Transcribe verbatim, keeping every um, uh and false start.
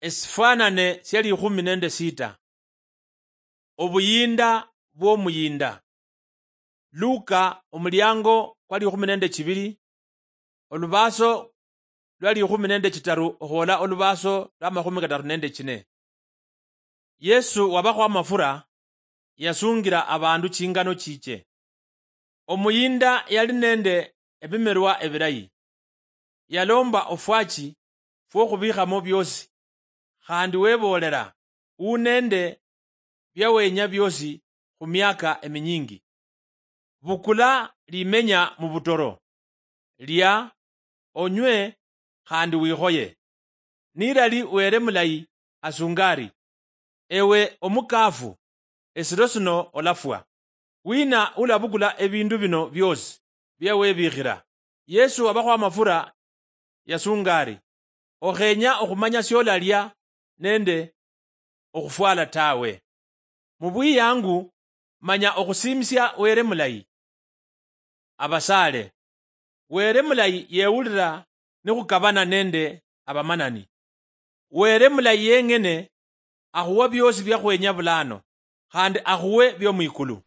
Esifwanane sia likhumi nende sita. Obuyinda bw'omuyinda. Luka, omuliango kwa likhumi nende chibili, olubaaso lwa likhumi nende chitaru okhwola olubaaso lwa makhumi kataru nende chine. Yesu wabakhwa amafura, yasungira abandu chingano chiche. Omuyinda yali nende ebimerwa ebilayi. Yalomba ofwachi fwokhubikhamo biosi, khandi weboolela, u nende biawenya biosi khumiaka eminyingi. Bukula limenya mubutoro, lia, onywe, khandi wikhoye. Nilali Wele mulayi asunga ari, ewe omukaafu, esiro sino olafwa. Wina ulabukula ebindu bino biosi bia webikhira? Yesu wabakhwa amafura yasunga ari, okhenya okhumanya siolalia nende okhufwala tawe. Mubwiyangu manya okhusiimisia Wele mulayi. Abasaale. Wele mulayi yewulira nikhukabana nende abamanani. Wele mulayi yeng'ene akhuwa biosi biakhwenya bulano, khandi akhuwe biomwikulu.